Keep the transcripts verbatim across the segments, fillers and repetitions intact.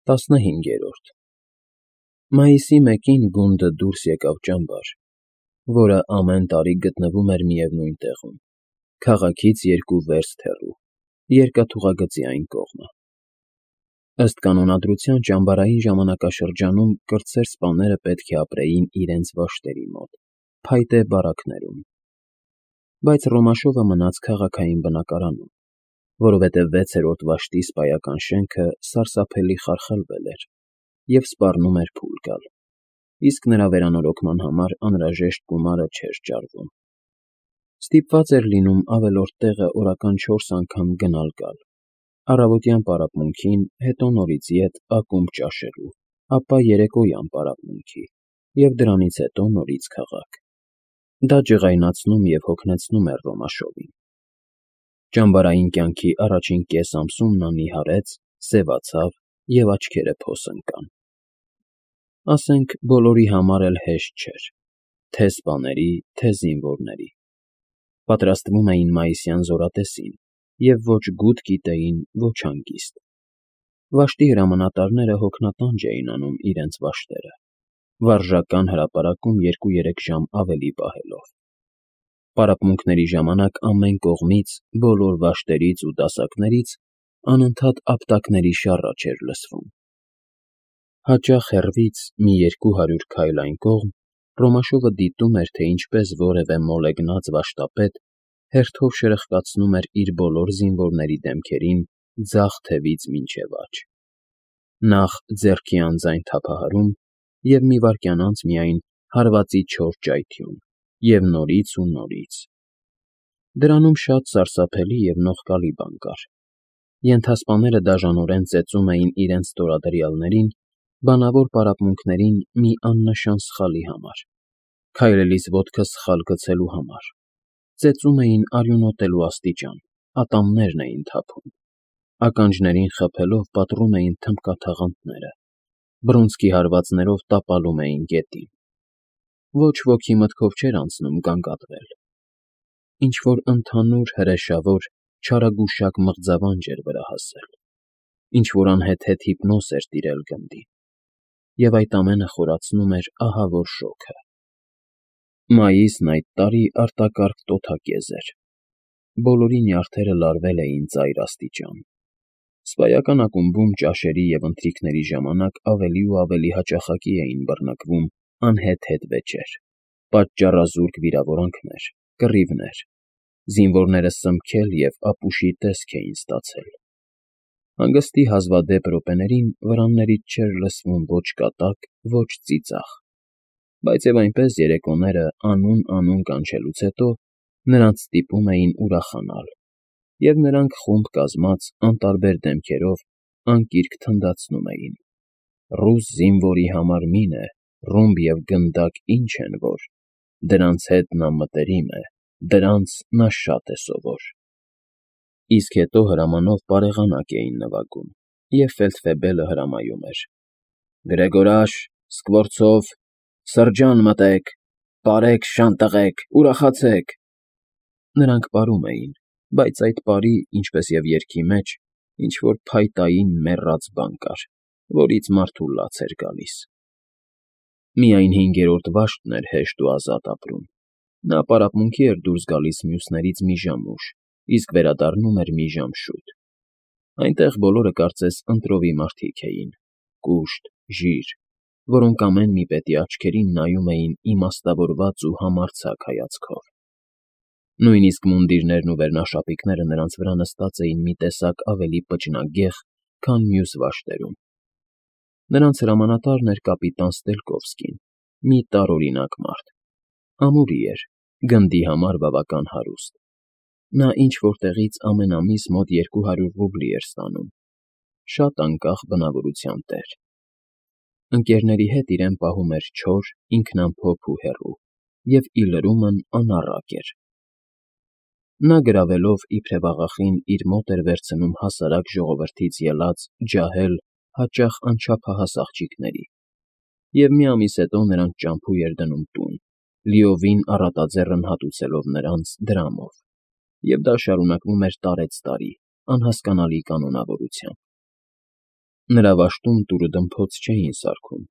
Տասնհինգերորդ Մայիսի մեկին գունդը դուրս եկավ ճամբար, որը ամեն տարի գտնվում էր միևնույն տեղում, քաղաքից երկու վերստ հեռու, երկաթուղագծի այն կողմը։ Ըստ կանոնադրության ճամբարային ժամանակաշրջանում կրտսեր սպաները պետք է ապրեին իրենց վաշտերի մոտ, փայտե բարակներում, բայց Ռոմաշովը մնաց քաղաքային բնակարանում, որովհետև վեցերորդ վաշտի սպայական շենքը սարսափելի խարխլվել էր և սպառնում էր փուլ գալ, իսկ նրա վերանորոգման համար անհրաժեշտ գումարը չէր ճարվում։ Ստիպված էր լինում ավելորդ տեղը օրական չորս անգամ գնալ֊գալ, առավոտյան պարապմունքին, հետո նորից ետ ակումբ ճաշելու, ապա երեկոյան պարապմունքի և դրանից հետո նորից քաղաք։ Դա ջղայնացնում և հոգնեցնում էր Ռոմաշովին։ Ճամբարային կյանքի առաջին կես ամսում նա նիհարեց, սևացավ և աչքերը փոս ընկան։ Ասենք, բոլորի համար էլ հեշտ չէր, թե՛ սպաների, թե՛ զինվորների։ Պատրաստվում էին մայիսյան զորատեսին և ոչ գութ գիտեին, ոչ հանգիստ։ Վաշտի հրամանատարները հոգնատանջ էին անում իրենց վաշտերը, վարժական հրապարակում երկու֊երեք ժամ ավելի պահելով։ Պարապմունքների ժամանակ ամեն կողմից, բոլոր վաշտերից ու դասակներից անընդհատ ապտակների շառաչ էր լսվում։ Հաճախ հեռվից, մի երկու հարյուր քայլ այն կողմ, Ռոմաշովը դիտում էր, թե ինչպես որևէ մոլեգնած վաշտապետ հերթով շրխկացնում էր իր բոլոր զինվորների դեմքերին ձախ թևից մինչև աջ։ Նախ ձեռքի անձայն թափահարում և մի վայրկյան անց միայն հարվածի չոր ճայթյուն, և նորից ու նորից։ Դրանում շատ սարսափելի և նողկալի բան կար։ Ենթասպաները դաժանորեն ծեծում էին իրենց ստորադրյալներին բանավոր պարապմունքներին մի աննշան սխալի համար, քայլելիս ոտքը սխալ գցելու համար, ծեծում էին արյունոտելու աստիճան, ատամներն էին թափում, ականջներին խփելով պատռում էին թմբկաթաղանթները, բռունցքի հարվածներով տապալում էին գետին։ Ոչ ոքի մտքով չէր անցնում գանգատվել։ Ինչ֊որ ընդհանուր, հրեշավոր, չարագուշակ մղձավանջ էր վրա հասել, ինչ֊որ անհեթեթ հիպնոզ էր տիրել գնդին, և այդ ամենը խորացնում էր ահավոր շոգը։ Մայիսն այդ տարի արտակարգ տոթակեզ էր։ Բոլորի նյարդերը լարվել էին ծայր աստիճան։ Սպայական ակումբում ճաշերի և ընթրիքների ժամանակ ավելի ու ավելի հաճախակի էին բռնկվում անհեթեթ վեճեր, պատճառազուրկ վիրավորանքներ, կռիվներ, զինվորները սմբքել և ապուշի տեսք էին ստացել։ Հանգստի հազվադեպ րոպեներին վրաններից չէր լսվում ոչ կատակ, ոչ ծիծաղ, բայց և այնպես երեկոները անուն֊անուն կանչելուց հետո նրանց ստիպում էին ուրախանալ, և նրանք խումբ կազմած անտարբեր դեմքերով անկիրք թնդացնում էին. «Ռուս զինվորի համար մին է, ռումբ և գնդակ ինչ են որ, դրանց հետ նա մտերիմ է, դրանց նա շատ է սովոր»։ Իսկ հետո հրամանով պարեղանակ էին նվագում, և ֆելդֆեբելը հրամայում էր. «Գրեգորաշ, Սկվորցով, սրճան մտեք, պարեք, շան տղեք, ուրախացեք»։ Նրանք պարում էին, բայց այդ պարի, ինչպես և երգի մեջ, ինչ֊որ փայտային, մեռած բան կար, որից մարդու լաց էր գալիս։ Միայն հինգերորդ վաշտն էր հեշտ ու ազատ ապրում։ Նա պարապմունքի էր դուրս գալիս մյուսներից մի ժամ ուշ, իսկ վերադառնում էր մի ժամ շուտ։ Այնտեղ բոլորը կարծես ընտրովի մարդիկ էին, կուշտ, ժիր, որոնք ամեն մի պետի աչքերին նայում էին իմաստավորված ու համարձակ հայացքով։ Նույնիսկ մունդիրներն ու վերնաշապիկները նրանց վրա նստած էին մի տեսակ ավելի պճնագեղ, քան մյուս վաշտերում։ Նրանց հրամանատարն էր կապիտան Ստելկովսկին, մի տարօրինակ մարդ։ Ամուրի էր, գնդի համար բավական հարուստ։ Նա ինչ֊որտեղից ամեն ամիս մոտ երկու հարյուր ռուբլի էր ստանում, շատ անկախ բնավորության տեր։ Ընկերների հետ իրեն պահում էր չոր, ինքնամփոփ ու հեռու, և ի լրումն անառակ էր։ Նա գրավելով իբրև աղախին իր մոտ էր վերցնում հասարակ ժողովրդից ելած ջահել, հաճախ անչափահաս աղջիկների, և մի ամիս հետո նրանց ճամփու էր դնում տուն, լիովին առատաձեռն հատուցելով նրանց դրամով, և դա շարունակվում էր տարեցտարի անհասկանալի կանոնավորությամբ։ Նրա վաշտում տուրը դմփոց չէին սարքում,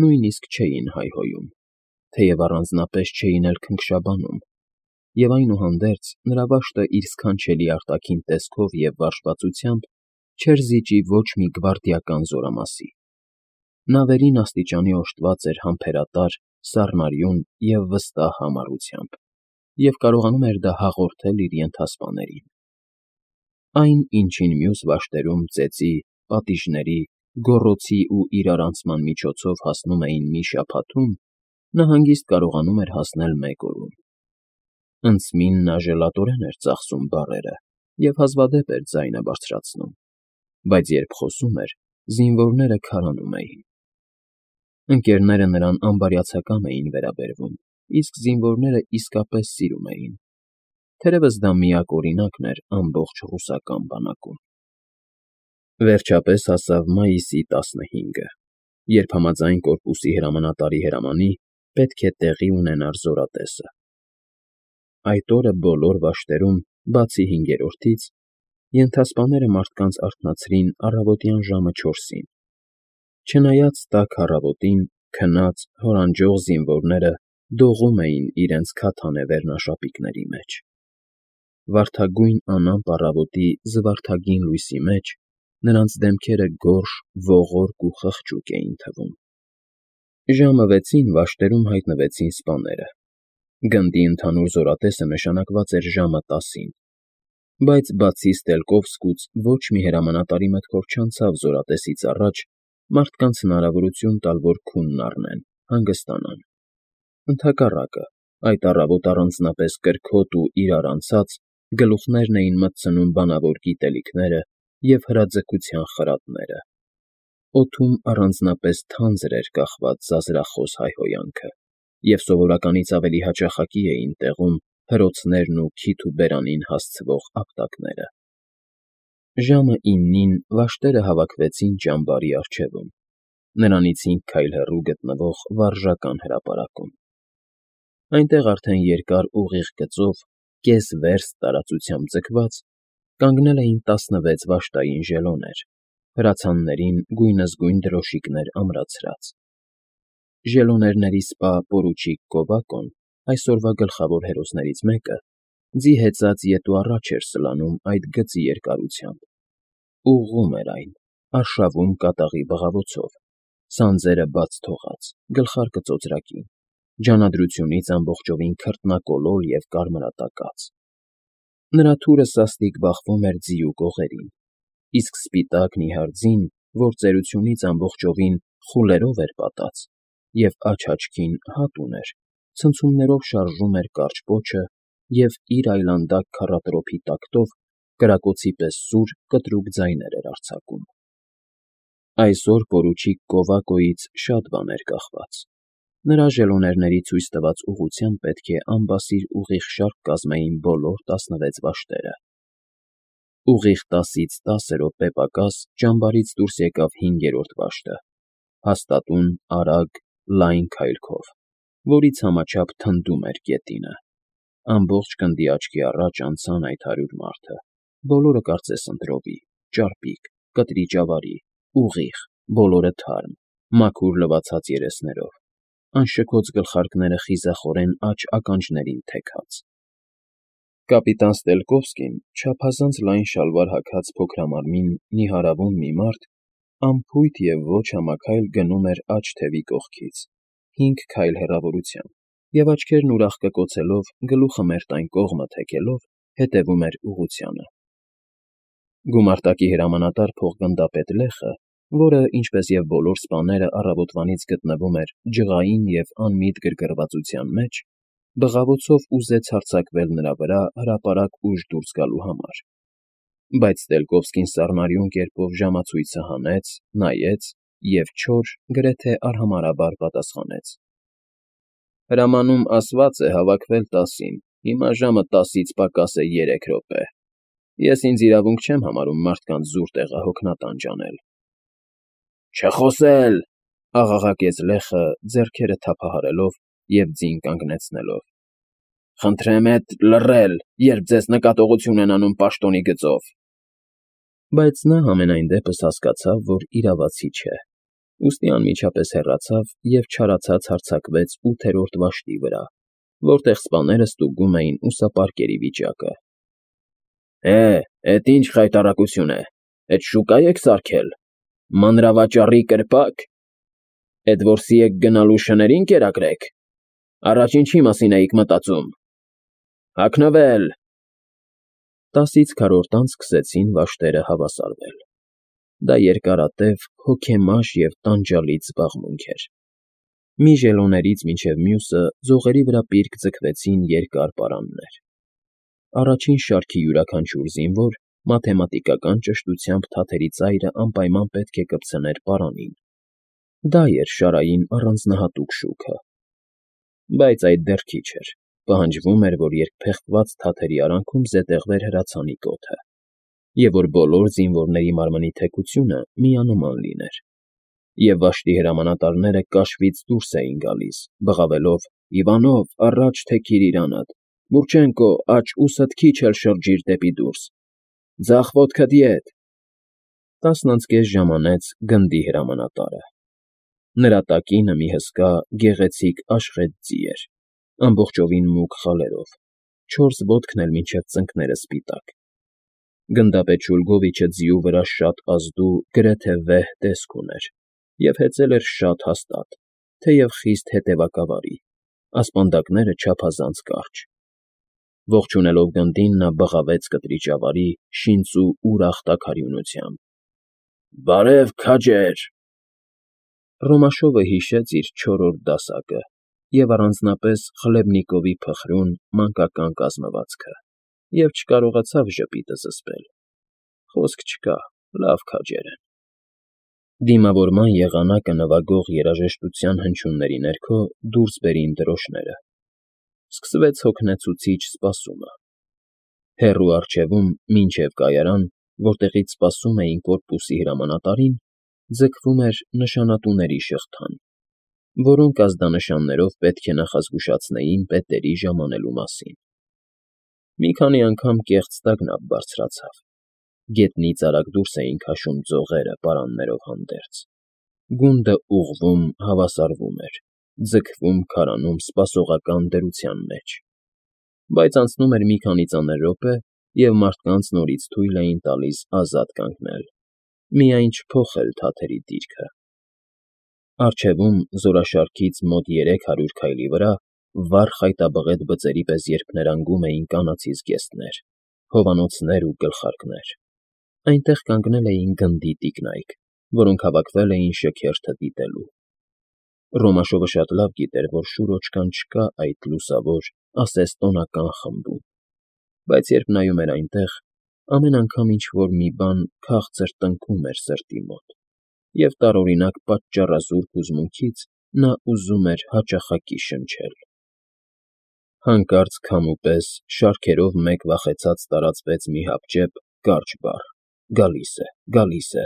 նույնիսկ չէին հայհոյում, թեև առանձնապես չէին էլ քնքշաբանում, և այնուհանդերձ նրա վաշտը իր սքանչելի արտաքին տեսքով և վարժվածությամբ չէր զիջի ոչ մի գվարդիական զորամասի. նա վերին աստիճանի օժտված էր համբերատար, սառնարյուն և վստահ համառությամբ և կարողանում էր դա հաղորդել իր ենթասպաներին. այն, ինչին մյուս վաշտերում ծեծի, պատիժների, գոռոցի ու իրարանցման միջոցով հասնում էին մի շաբաթում, նա հանգիստ կարողանում էր հասնել մեկ օրում. ընծմին նա ժելատորեն էր ծախսում բառերը և հազվադեպ էր ձայնը բարձրացնում, բայց երբ խոսում էր, զինվորները քարանում էին. Ընկերները նրան անբարյացակամ էին վերաբերվում, իսկ զինվորները իսկապես սիրում էին, թերևս դա միակ օրինակն էր ամբողջ ռուսական բանակում։ Վերջապես հասավ մայիսի տասնհինգը, երբ համաձայն կորպուսի հրամանատարի հրամանի պետք է տեղի ունենար զորատեսը։ Այդ օրը բոլոր վաշտերում, բացի հինգերորդից, ենթասպաները մարդկանց արթնացրին առավոտյան ժամը չորսին. չնայած տաք առավոտին քնած, հորանջող զինվորները դողում էին իրենց քաթանե վերնաշապիկների մեջ։ Վարդագույն անամպ առավոտի զվարթագին լույսի մեջ նրանց դեմքերը գորշ, ողորկ ու խղճուկ էին թվում։ Ժամը վեցին վաշտերում հայտնվեցին սպաները։ Գնդի ընդհանուր զորատեսը նշանակված էր ժամը տասին, բայց բացի Ստելկովսկուց ոչ մի հրամանատարի մտքով չանցավ զորատեսից առաջ մարդկանց հնարավորություն տալ, որ քունն առնեն, հանգստանան։ Ընդհակառակը, այդ առավոտ առանձնապես կրքոտ ու իրարանցած գլուխներն էին մտցնում բանավոր գիտելիքները և հրաձգության խրատները։ Օդում առանձնապես թանձր էր կախված ձազրախոս հայհոյանքը, և սովորականից ավելի հաճախակի էին տեղում հրոցներն ու քիթ ու բերանին հասցվող ապտակները։ Ժամը իննին վաշտերը հավաքվեցին ճամբարի առջևում, նրանից հինգ քայլ հեռու գտնվող վարժական հրապարակում։ Այնտեղ արդեն երկար ուղիղ գծով, կես վերստ տարածությամբ ձգված, կանգնել էին տասնվեց վաշտային ժելոներ, հրացաններին գույնզգույն դրոշիկներ ամրացրած։ Ժելոներների սպա պորուչիկ Կովակոն, այսօրվա գլխավոր հերոսներից մեկը, ձի հեծած ետու առաջ էր սլանում այդ գծի երկարությամբ, ուղղում էր այն, արշավում կատաղի բղավոցով, սանձերը բաց թողած, գլխարկը ծոծրակին, ջանադրությունից ամբողջովին քրտնակոլոր և կարմրատակած։ Նրա թուրը սաստիկ բախվում էր ձիու կողերին, իսկ սպիտակ նիհար ձին, որ ծերությունից ամբողջովին խուլերով էր պատած և աջ աչքին հատ ուներ, ցնցումներով շարժում էր կարճ պոչը և իր այլանդակ քառատրոփի տակտով կրակոցի պես սուր, կտրուկ ձայներ էր արձակում։ Այսօր պորուչիկ Կովակոյից շատ բան էր կախված։ Նրա ժելոներների ցույց տված ուղղությամբ պետք է անբասիր ուղիղ շարք կազմեին բոլոր տասնվեց վաշտերը։ Ուղիղ տասից տասը րոպե պակաս ճամբարից դուրս եկավ հինգերորդ վաշտը, հաստատուն, արագ, լայն քայլքով, որից համաչափ թնդում էր գետինը։ Ամբողջ գնդի աչքի առաջ անցան այդ հարյուր մարդը, բոլորը կարծես ընտրովի, ճարպիկ, կտրի ճավարի, ուղիղ, բոլորը թարմ, մաքուր լվացած երեսներով, անշքոց գլխարկները խիզախորեն աջ ականջներին թեքած։ Կապիտան Ստելկովսկին, չափազանց լայն շալվար հագած փոքրամարմին, նիհարավուն մի մարդ, անփույթ և ոչ համաքայլ գնում էր աջ թևի կողքից, հինգ քայլ հեռավորությամբ, և աչքերն ուրախ կկոցելով, գլուխը մերթ այն կողմը թեքելով, հետևում էր ուղղությանը։ Գումարտակի հրամանատար փոխգնդապետ Լեխը, որը, ինչպես և բոլոր սպաները, առավոտվանից գտնվում էր ջղային և անմիտ գրգռվածության մեջ, բղավոցով ուզեց հարձակվել նրա վրա հրապարակ ուժ դուրս գալու համար, բայց Ստելկովսկին սառնարյուն կերպով ժամացույցը հանեց, նայեց և չոր, գրեթե արհամարհաբար պատասխանեց. Հրամանում ասված է հավաքվել տասին, հիմա ժամը տասից պակաս է երեք րոպե։ Ես ինձ իրավունք չեմ համարում մարդկանց զուր տեղահոգնատան ջանել։ Չխոսել,֊ աղաղակեց Լեխը, ձեռքերը թափահարելով և ձին կանգնեցնելով։ Խնդրեմ էդ լռել, երբ ձեզ նկատողություն են անում պաշտոնի գծով։ Բայց նա համենայն դեպս հասկացավ, որ իրավացի չէ, ուստի անմիջապես հեռացավ և չարացած հարձակվեց ութերորդ վաշտի վրա, որտեղ սպաները ստուգում էին ուսապարկերի վիճակը։ ֊ Հե, էդ ի՞նչ խայտառակություն է, էդ շուկա եք սարքել, մանրավաճառի կրպա՞կ, էդ որսի եք գնալու շներին կերակրեք, առաջ ինչի մասին էիք մտածում, հագնվել… Տասից քառորդ անց սկսեցին վաշտերը հավասարվել. դա երկարատև, հոգեմաշ և տանջալից զբաղմունք էր։ Մի ժելոներից մինչև մյուսը ձողերի վրա պիրկ ձգվեցին երկար պարաններ։ Առաջին շարքի յուրաքանչյուր զինվոր մաթեմատիկական ճշտությամբ թաթերի ծայրը անպայման պետք է կպցներ պարանին. դա էր շարային առանձնահատուկ շուքը։ Բայց այդ դեռ քիչ էր, պահանջվում էր, որ երկփեղկված թաթերի արանքում զետեղվեր հրացանի կոթը, և որ բոլոր զինվորների մարմնի թեքությունը միանման լիներ, և վաշտի հրամանատարները կաշվից դուրս էին գալիս, բղավելով. «Իվանով, առաջ թեքիր իրանդ, Մուրչենկո, աջ ուսդ քիչ էլ շրջիր դեպի դուրս, ձախ ոտքդ ետ»։ Տասն անց կես ժամ անց գնդի հրամանատարը։ Նրա տակինը մի հսկա, գեղեցիկ աշխեծ ձի էր, ամբողջովին մուգ խալերով, չորս ոտքն էլ մինչև ծնկները սպիտակ։ Գնդապետ Շուլգովիչը ձիու վրա շատ ազդու, գրեթե վեհ տեսք ուներ և հեծել էր շատ հաստատ, թեև խիստ հետևակավարի, ասպանդակները չափազանց կարճ։ Ողջունելով գնդին, նա բղավեց կտրիճավարի, շինծու ուրախ տաքարյունությամբ. «Բարև, քաջեր»։ Ռոմաշովը հիշեց իր չորրորդ դասակը և առանձնապես Խլեբնիկովի փխրուն, մանկական կազմվածքը և չկարողացավ ժպիտը զսպել. խոսք չկա, լավ քաջեր են։ Դիմավորման եղանակը նվագող երաժշտության հնչյունների ներքո դուրս բերին դրոշները։ Սկսվեց հոգնեցուցիչ սպասումը։ Հեռու առջևում, մինչև կայարան, որտեղից սպասում էին կորպուսի հրամանատարին, ձգվում էր նշանատուների շղթան, որոնք ազդանշաններով պետք է նախազգուշացնեին պետերի ժամանելու մասին։ Մի քանի անգամ կեղծ տագնապ բարձրացավ։ Գետնից արագ դուրս էին քաշում ձողերը պարաններով հանդերձ։ Գունդը ուղղվում, հավասարվում էր, ձգվում քարանում սպասողական դրության մեջ։ Բայց անցնում էր մի քանի ծանր րոպե, և մարդկանց նորից թույլ էին տալիս ազատ կանգնել, միայն չփոխել թաթերի դիրքը։ Առջևում, զորաշարքից մոտ երեք հարյուր քայլի վրա, վառ խայտաբղետ բծերի պես երփներանգում էին կանացի զգեստներ, հովանոցներ ու գլխարկներ։ Այնտեղ կանգնել էին գնդի տիկնայք, որոնք հավաքվել էին շքերթը դիտելու։ Ռոմաշովը շատ լավ գիտեր, որ շուրոչկան չկա այդ լուսավոր, ասես տոնական խմբում, բայց երբ նայում էր այնտեղ, ամեն անգամ ինչ֊որ մի բան քաղցր տնքում էր սրտի մոտ, և տարօրինակ պատճառազուրկ հուզմունքից նա ուզում էր հաճախակի շնչել։ Հանկարծ քամու պես շարքերով մեկ վախեցած տարածվեց մի հապճեպ, կարճ բառ. «Գալիս է, գալիս է»։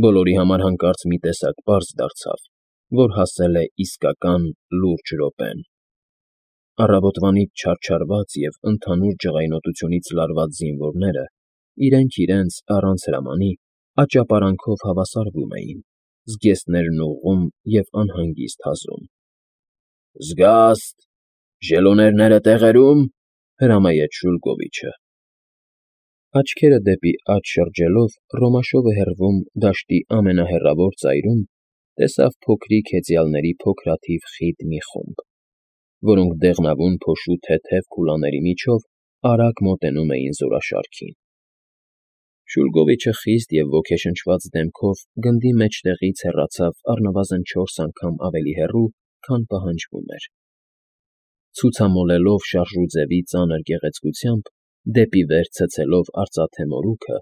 Բոլորի համար հանկարծ մի տեսակ պարզ դարձավ, որ հասել է իսկական լուրջ րոպեն։ Առավոտվանից չարչարված և ընդհանուր ջղայնոտությունից լարված զինվորները, իրենք իրենց, առանց հրամանի, աճապարանքով հավասարվում էին, զգեստներն ուղղում և անհանգիստ հազում։ ֊ Զգա՜ստ, ժելոներները տեղերո՞ւմ,֊ հրամայեց Շուլգովիչը։ Աչքերը դեպի աջ շրջելով, Ռոմաշովը հեռվում, դաշտի ամենահեռավոր ծայրում, տեսավ փոքրիկ հեծյալների փոքրաթիվ խիտ մի խումբ, որոնք դեղնավուն փոշու թեթև քուլաների միջով արագ մոտենում էին զորաշարքին։ Շուլգովիչը խիստ և ոգեշնչված դեմքով գնդի մեջտեղից հեռացավ առնվազն չորս անգամ ավելի հեռու, քան պահանջվում էր։ Ցուցամոլելով շարժուձևի ծանր գեղեցկությամբ, դեպի վեր ցցելով արծաթե մորուքը,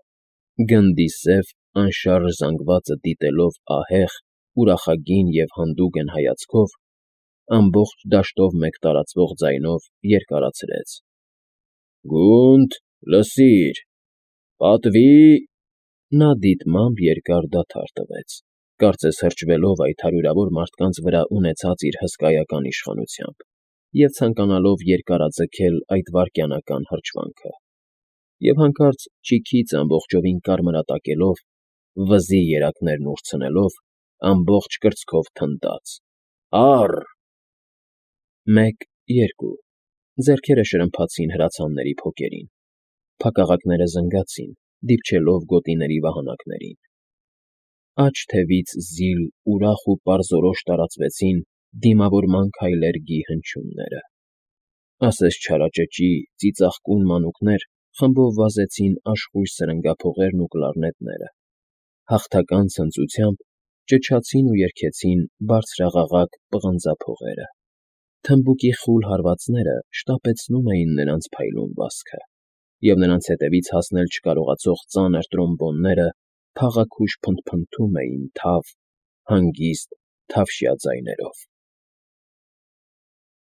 գնդի սև, անշարժ զանգվածը դիտելով ահեղ, ուրախագին և հանդուգն հայացքով, ամբողջ դաշտով մեկ տարածվող ձայնով երկարացրեց. «Գունդ, լսիր, պատվի…»։ Նա դիտմամբ երկար դադար տվեց, կարծես հրճվելով այդ հարյուրավոր մարդկանց վրա ունեցած իր հսկայական իշխանությամբ և ցանկանալով երկարաձգել այդ վայրկենական հրճվանքը։ և հանկարծ ճիգից ամբողջովին կարմրատակելով, վզի երակներն ուրցնելով, ամբողջ կրծքով թնդաց. «Ա՛ռ»։ Մեկ, երկու… Ձեռքերը շրմփացին հրացանների փոկերին, փակաղակները զնգացին, դիպչելով գոտիների վահանակներին… Աջ թևից զիլ, ուրախ ու պարզորոշ տարածվեցին դիմավորման քայլեր֊գի հնչյունները… Ասես չարաճճի, ծիծաղկուն մանուկներ խմբով վազեցին աշխույժ սրնգափողերն ու կլարնետները, հաղթական ցնծությամբ ճչացին ու երգեցին բարձրաղաղակ պղնձափողերը… Թմբուկի խուլ հարվածները շտապեցնում էին նրանց փայլուն վազքը, և նրանց ետևից հասնել չկարողացող ծանր տրոմբոնները փաղաքուշ փնթփնթում էին թավ, հանգիստ թավշյա ձայներով։